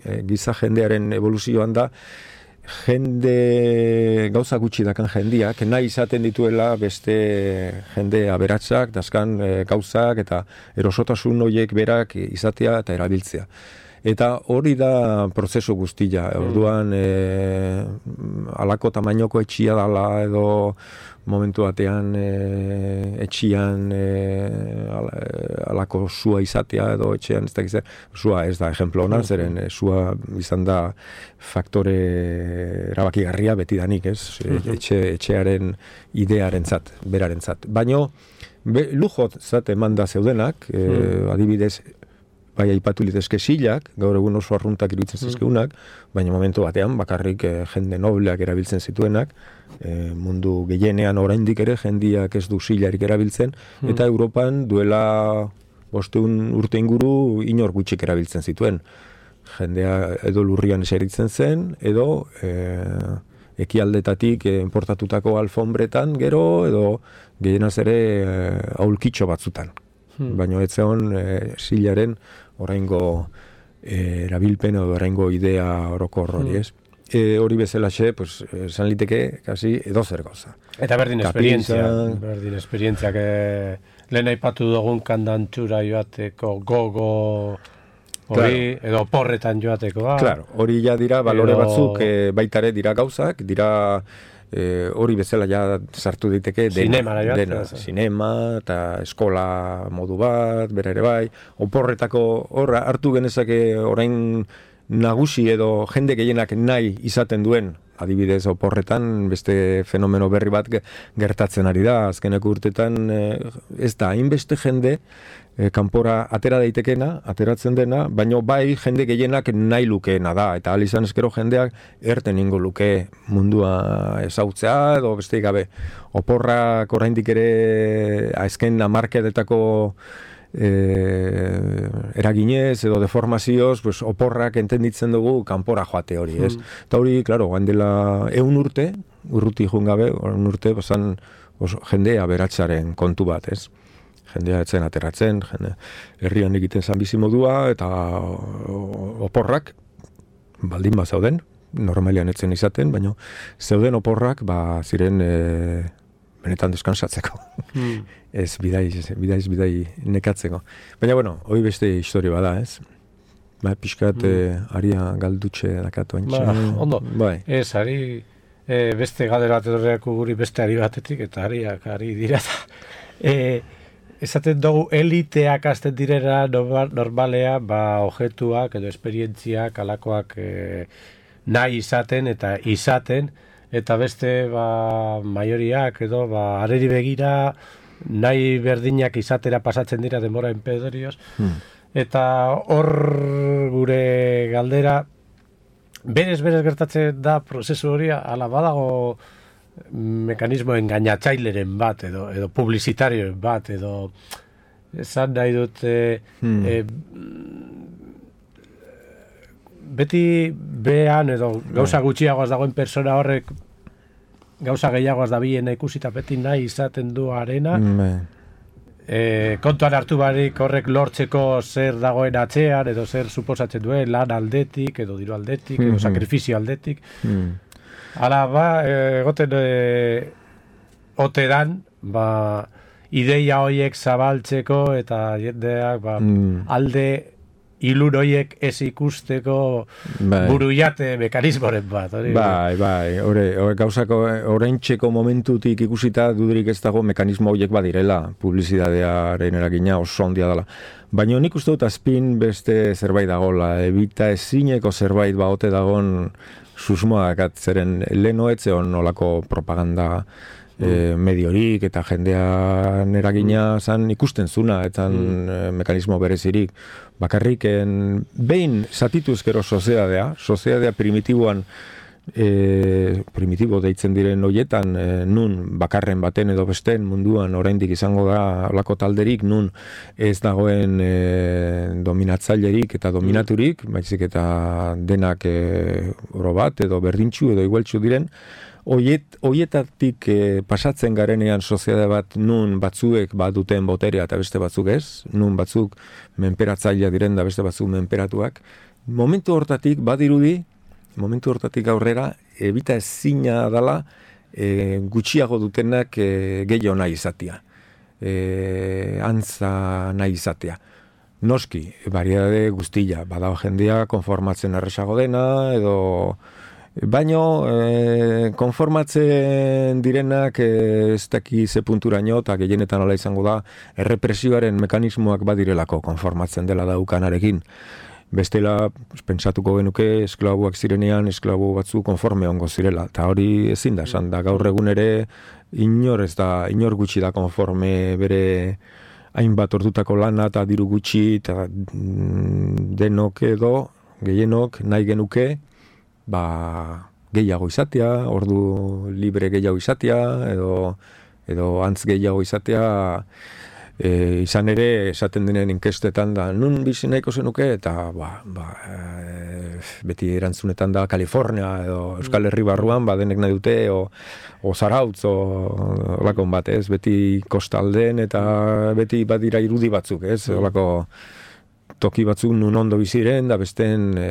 e, giza jendearen evoluzioan da, jende gauza gutxi dakan jendiak, nahi izaten dituela beste jende aberatsak, daskan e, gauzak eta erosotasun horiek berak izatea eta erabiltzea. Eta hori da prozesu guztia. Orduan, e, alako tamainoko etxia dala edo momentu batean e, etxian e, alako sua izatea edo etxean ez da gizar. Sua ez da ejemplo honan, zeren e, sua izan da faktore erabakigarria betidanik, ez? Etxe, etxearen idearen zat, beraren zat. Baina, lujot zat eman da zeudenak, e, adibidez, bai aipatu litezke silak, gaur egun oso arruntak iruditzen zizkeunak, baina momentu batean bakarrik e, jende nobleak erabiltzen zituenak, e, mundu gehienean oraindik ere jendiak ez du silarik erabiltzen, mm. eta Europan duela bosteun urte inguru inor gutxik erabiltzen zituen. Jendea edo lurrian eseritzen zen, edo e, ekialdetatik e, importatutako alfombretan gero, edo gehienaz ere e, aulkitxo batzutan. Hmm. Baina ez zeon e, silaren oraingo e, erabilpen edo oraingo idea orokor hori, ez? E, hori bezalaxe, pues, esan liteke, kasi edozer gauza. Eta berdin esperientzia, berdin esperientziak e, lehen aipatu dugun kandantxura joateko gogo hori, claro. Edo porretan joateko. Ah. Claro, hori ja dira balore edo... batzuk e, baitare dira gauzak, dira E, hori bezala ja sartu diteke dena, dena, sinema eta eskola modu bat, bera ere bai, oporretako horra hartu genezake orain nagusi edo jende gehienak nahi izaten duen, adibidez oporretan beste fenomeno berri bat gertatzen ari da, azkeneko urtetan e, ez da, hainbeste jende e, kanpora atera daitekena, ateratzen dena, baina bai jende gehienak nahi lukeena da, eta ahal izan eskero jendeak erten ingo luke mundua ezautzea, edo beste gabe oporrak oraindik ere azken hamarkadetako E, eraginez edo deformazioz pues, oporrak entenditzen dugu kanpora joate hori, ez? Mm. Eta hori, klaro, gain dela eun urte, urruti joan gabe, eun urte, bazan oso, jendea beratzaren kontu bat, ez? Jendea etzen ateratzen, jende, herrian egiten zan bizimodua, eta oporrak, baldin ba zauden, normalian etzen izaten, baina zeuden oporrak, ba, ziren e, benetan deskansatzeko. Hmm. Ez, bidaiz, bidaiz, bidai nekatzeko. Baina, bueno, hori beste historia bada, ez? Ba, pixkat, hmm. e, aria galdutxe dakatu antxe. Ba, ondo, bai. Ez, ari, e, beste galdera bat guri beste ari batetik, eta ariak ari dira. e, esaten dugu, eliteak azten direra normalea, ba, ojetuak edo esperientziak, alakoak e, nahi izaten eta izaten, eta beste ba, maioriak edo ba, areri begira nahi berdinak izatera pasatzen dira denbora enpedorioz. Hmm. Eta hor gure galdera, berez-berez gertatzen da prozesu hori, ala badago mekanismo engainatzaileren bat, edo, edo publizitarioen bat, edo esan nahi dut e, hmm. e, beti behan edo gauza gutxiagoaz dagoen persona horrek gauza gehiagoaz da biena ikusita beti nahi izaten du arena. E, kontuan hartu barik horrek lortzeko zer dagoen atzean edo zer suposatzen duen lan aldetik edo diru aldetik edo mm-hmm. sakrifizio aldetik. Mm. Hala ba, egoten e, ote dan, ba, ideia horiek zabaltzeko eta jendeak ba, mm. alde ilun horiek ez ikusteko bai. Buruiate mekanismoren bat. Hori, bai, bai, ore, ore, gauzako oraintxeko momentutik ikusita dudurik ez dago mekanismo horiek badirela, publizitatearen eragina oso handia dela. Baina nik uste dut azpin beste zerbait dagoela, ebita ezineko zerbait baote dagon susmoak atzeren lehen hoetzeon olako propaganda e, mediorik eta jendean eragina zan ikusten zuna, etan mm. e, mekanismo berezirik. Bakarrik, en, behin zatituz gero soziadea, soziadea primitiboan, E, primitibo deitzen diren hoietan, e, nun bakarren baten edo besten munduan oraindik izango da olako talderik, nun ez dagoen e, dominatzailerik eta dominaturik, baizik eta denak e, oro bat edo berdintxu edo igueltxu diren, Oiet, oietatik e, pasatzen garenean soziedade bat nun batzuek baduten boterea eta beste batzuk ez, nun batzuk menperatzailea diren da beste batzuk menperatuak, momentu hortatik badirudi, momentu hortatik aurrera, ebita ezina dala e, gutxiago dutenak e, gehiago nahi izatea. E, antza nahi izatea. Noski, variedade guztia, badago jendea konformatzen erresago dena, edo baino e, konformatzen direnak e, ez daki ze punturaino, eta gehienetan hola izango da, errepresioaren mekanismoak badirelako konformatzen dela daukanarekin. Bestela, pentsatuko genuke, esklabuak zirenean, esklabu batzu konforme ongo zirela. Eta hori ezin da, esan da, gaur egun ere, inor ez da, inor gutxi da konforme bere hainbat ordutako lana eta diru gutxi, eta denok edo, gehienok, nahi genuke, ba, gehiago izatea, ordu libre gehiago izatea, edo, edo antz gehiago izatea, E, izan ere, esaten denen inkestetan da, nun bizi nahiko zenuke, eta ba, ba, e, beti erantzunetan da Kalifornia, edo Euskal Herri barruan, ba, denek nahi dute, o, o Zarautz, o olakon bat, ez, beti kostalden, eta beti badira irudi batzuk, ez, olako toki batzuk nun ondo biziren, da besten e,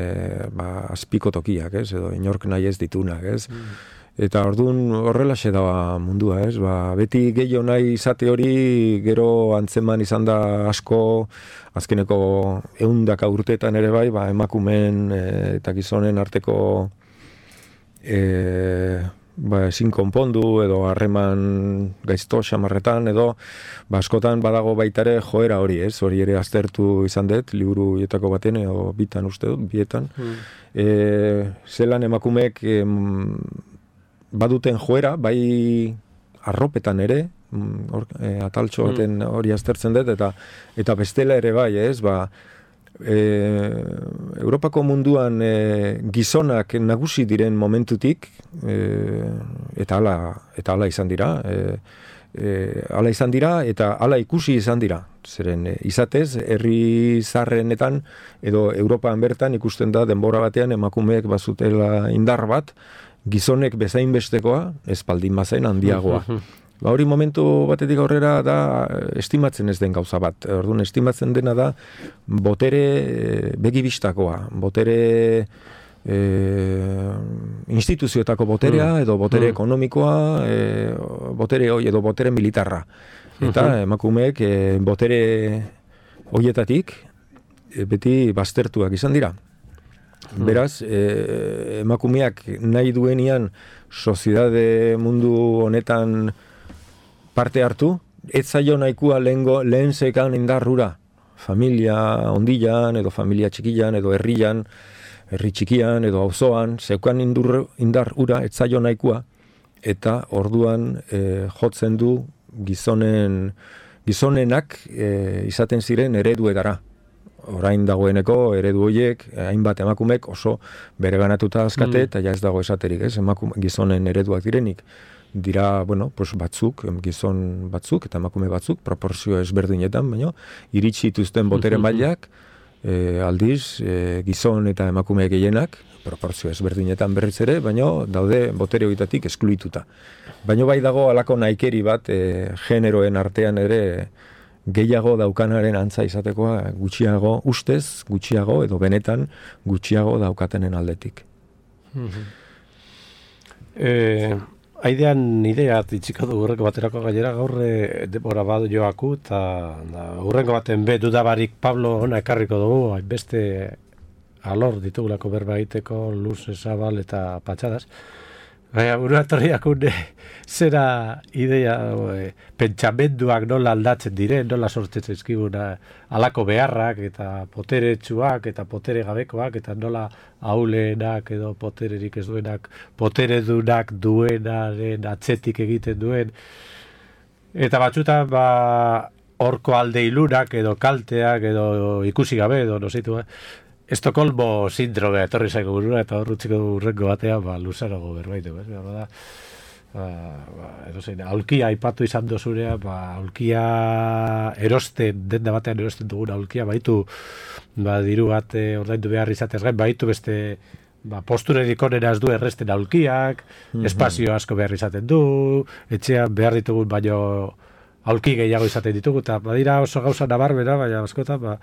ba, azpiko tokiak, ez, edo inork nahi ez ditunak, ez. Mm. Eta orduan horrelaxe da mundua, ez? Ba, beti gehiago nahi izate hori gero antzeman izan da asko, azkeneko ehundaka urteetan ere bai, ba, emakumeen e, eta gizonen arteko e, ba, ezin konpondu edo harreman gaizto xamarretan edo ba, askotan badago baitare joera hori, ez? Hori ere aztertu izan dut, liburu hietako baten edo bitan uste dut, bietan. Mm. E, zelan emakumeek em, baduten joera, bai arropetan ere, or, e, ataltxo baten hori aztertzen dut, eta eta bestela ere bai, ez, ba, e, Europako munduan e, gizonak nagusi diren momentutik, e, eta hala eta hala izan dira, e, e, hala izan dira, eta hala ikusi izan dira. Zeren, e, izatez, herri zarrenetan, edo Europan bertan ikusten da denbora batean emakumeek bazutela indar bat, gizonek bezain bestekoa, espaldin bazen handiagoa. Ba, hori momentu batetik aurrera da estimatzen ez den gauza bat. Orduan, estimatzen dena da botere begibistakoa, botere e, instituzioetako boterea, edo botere ekonomikoa, e, botere hoi, edo botere militarra. Eta emakumeek e, botere hoietatik e, beti baztertuak izan dira. Beraz, eh, emakumeak nahi duenian soziedade mundu honetan parte hartu, ez zaio nahikoa lehengo, lehen zekan indarrura, familia ondilan, edo familia txikian, edo herrian, herri txikian, edo auzoan, zeukan indur, indar ura, ez zaio nahikoa, eta orduan eh, jotzen du gizonen, gizonenak eh, izaten ziren ereduetara. Orain dagoeneko eredu horiek, hainbat emakumek oso bereganatuta azkate, eta ja ez dago esaterik, ez, emakume, gizonen ereduak direnik. Dira, bueno, pues batzuk, gizon batzuk, eta emakume batzuk, proporzio ezberdinetan, baina, iritsi dituzten botere mailak, e, aldiz, e, gizon eta emakume gehienak, proporzio ezberdinetan berriz ere, baina daude botere horietatik eskluituta. Baina bai dago alako naikeri bat, e, generoen artean ere, gehiago daukanaren antza izatekoa gutxiago, ustez, gutxiago, edo benetan gutxiago daukatenen aldetik. E, aidean idea itxiko du urreko baterako gailera, gaur denbora bat joaku, eta urrengo baten be dudabarik Pablo ona ekarriko dugu, beste alor ditugulako berba egiteko, luz, zabal eta patxadas. Baina, buruatorriak une, zera idea, e, pentsamenduak nola aldatzen diren, nola sortzen ezkiguna, alako beharrak, eta poteretsuak, eta potere gabekoak, eta nola ahulenak edo potererik ez duenak, poteredunak duenaren atzetik egiten duen. Eta batzutan, ba, horko alde ilunak, edo kalteak, edo ikusi gabe, edo nozeitu, eh? Estokolmo sindromea etorri zaiko burura, eta horrutziko urrengo batean, ba, luzarago berbaitu, ez? Ba, ba, ba, edo zein, aulkia aipatu izan dozurea, ba, aulkia erosten, denda batean erosten dugun aulkia, baitu, ba, diru bat eh, ordaindu behar izatez gain, baitu beste, ba, posturerik onena ez du erresten aulkiak, mm-hmm. espazio asko behar izaten du, etxean behar ditugun baino aulki gehiago izaten ditugu, eta badira oso gauza nabarbera, baina askotan, ba,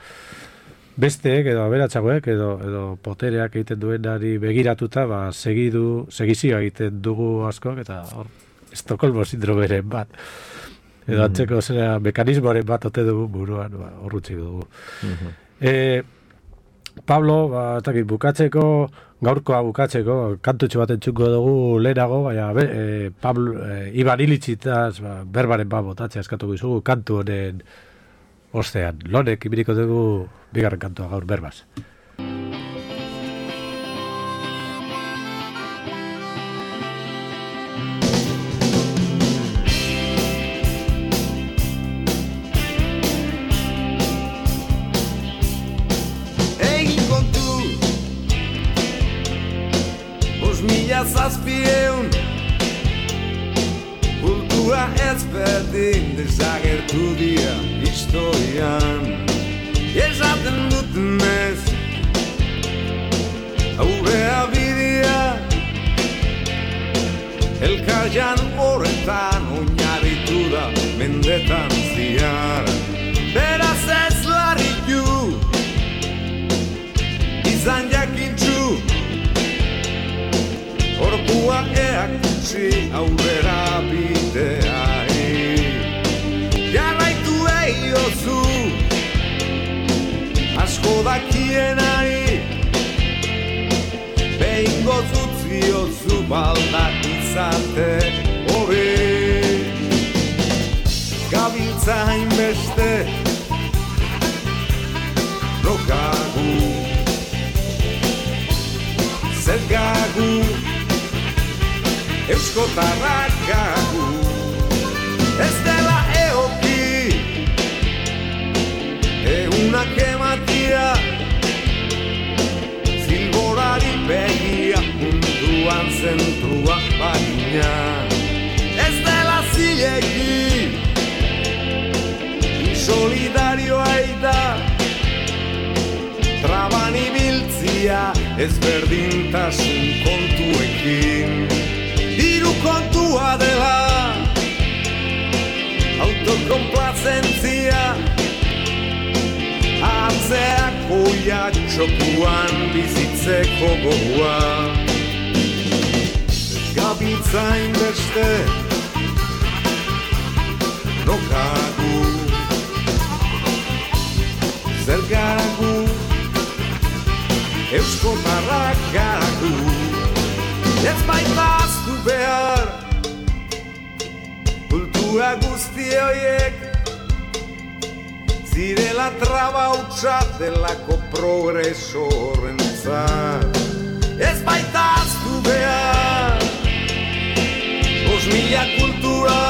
besteek edo aberatsagoek edo edo potereak egiten duenari begiratuta, ba, segidu, segizioa egiten dugu askok, eta hor, Estokolmo sindromeren bat. Edo antzeko zera mekanismoaren bat ote dugu buruan, ba, horrutzi dugu. Mm-hmm. E, Pablo, ba, etakit, bukatzeko, gaurkoa bukatzeko, kantutxo bat entzuko dugu lehenago, baina, e, Pablo, e, Iban Ilitxitaz, ba, berbaren bat botatzea eskatuko izugu, kantu honen ostean. Lonek, ibiriko dugu bigarren kantua gaur berbaz. Egin kontu Bos mila zazpieun Kultura ezberdin desagertu dira historian. Esaten dutenez aurrea bidea elkarjan horretan oinarritu da mendetan ziar. Beraz ez larritu izan jakintzu orpua eakutsi aurrera bideai. Jarraitu eiozu asko dakienari behingo zutziozu baldak izate hori. Gabiltza hainbeste rokagu zergagu euskotarrak gagu. Ez dela eoki eunak ematia zilborari begia munduan zentrua bagina. Ez dela zilegi insolidarioa da traban ibiltzia ezberdintasun kontuekin. Diru kontua dela autokonplazentzia atzeako jatxokuan bizitzeko gogoa. Gabiltza hainbeste rokagu zergagu euskotarrak garagu. Ez baitaztu behar kultura guzti horiek zirela traba hutsa delako progreso horrentzat. Ez baitaztu behar bos mila kultura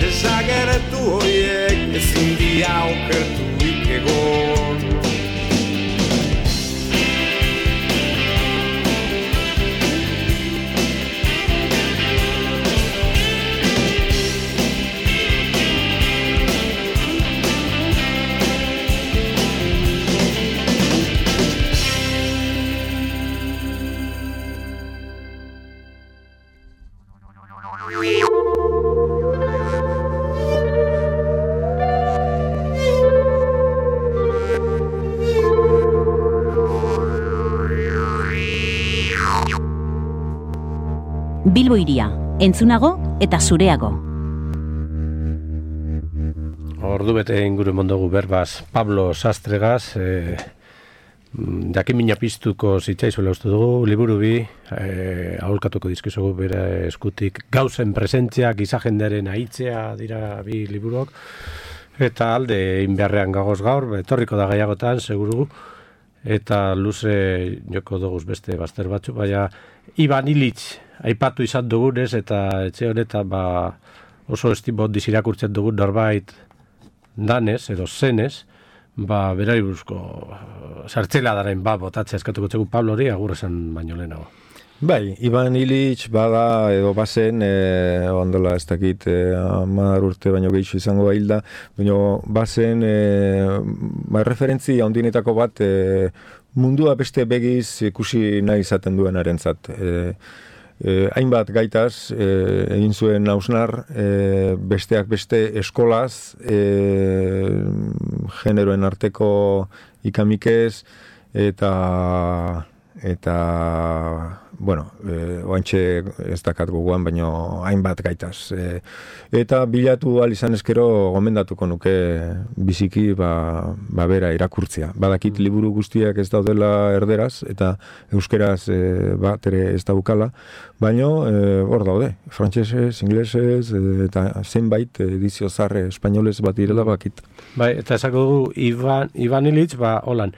desagertu horiek ezin dia okertuik egon. Bilbo Hiria, entzunago eta zureago. Ordu bete inguru mondogu berbaz Pablo Sastregaz, e, jakin mina piztuko zitzaizuela uste dugu, liburu bi, e, aholkatuko dizkizugu bere eskutik, gauzen presentzia, gizajendearen aitzea dira bi liburuok, eta alde inbeharrean gagoz gaur, etorriko da gaiagotan, seguru, eta luze joko duguz beste bazter batzu, baina Ivan Illich aipatu izan dugunez, eta etxe honetan ba, oso estimot dizirakurtzen dugun norbait danez, edo zenez, ba, berari buruzko sartzela daren ba, botatzea eskatuko txegu Pablo hori, agur esan baino lehenago. Bai, Ivan Illich bada edo bazen, e, ondola ez dakit, e, hamar urte baino gehiago izango hilda, baino bazen, e, ba, referentzi handinetako bat, e, mundua beste begiz ikusi nahi izaten duenarentzat. E, e, hainbat gaitaz, e, egin zuen hausnar, e, besteak beste eskolaz, e, generoen arteko ikamikez, eta eta bueno, e, oantxe ez dakat gogoan, baino hainbat gaitaz. E, eta bilatu ahal izan eskero gomendatuko nuke biziki ba, ba bera irakurtzia. Badakit liburu guztiak ez daudela erderaz, eta euskeraz e, bat ere ez daukala, baino e, hor daude, frantsesez, inglesez, e, eta zenbait edizio zarre espainolez bat direla bakit. Bai, eta esako dugu Ivan, Ivan Illich, ba, holan,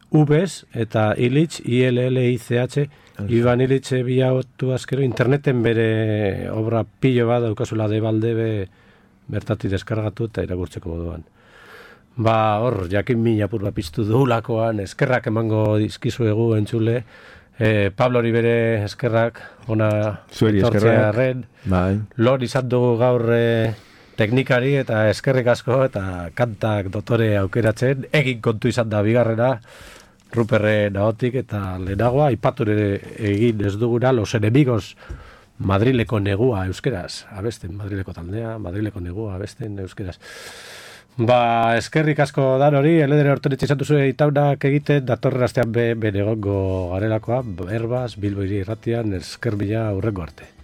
Ubez eta Illich, I L L I C H, Ivan Illich biatu azkero, interneten bere obra pilo bat daukazula de baldebe bertati deskargatu eta irakurtzeko moduan. Ba, hor, jakin min apur bat piztu duhulakoan, eskerrak emango dizkizuegu entzule, e, Pablo hori bere eskerrak, ona zueri eskerrak, bai. Lor izan dugu gaur e, teknikari eta eskerrik asko eta kantak dotore aukeratzen, egin kontu izan da bigarrena, Ruperre naotik eta lehenagoa, aipature egin ez duguna, los enemigos Madrileko negua euskeraz, abesten, Madrileko taldea, Madrileko negua abesten euskeraz. Ba, eskerrik asko dan hori, eledere hortonetxe izan duzu itaunak egiten, datorren astean be, benegongo garelakoa, Erbas, Bilbo hiri irratian, esker bila hurrengo arte.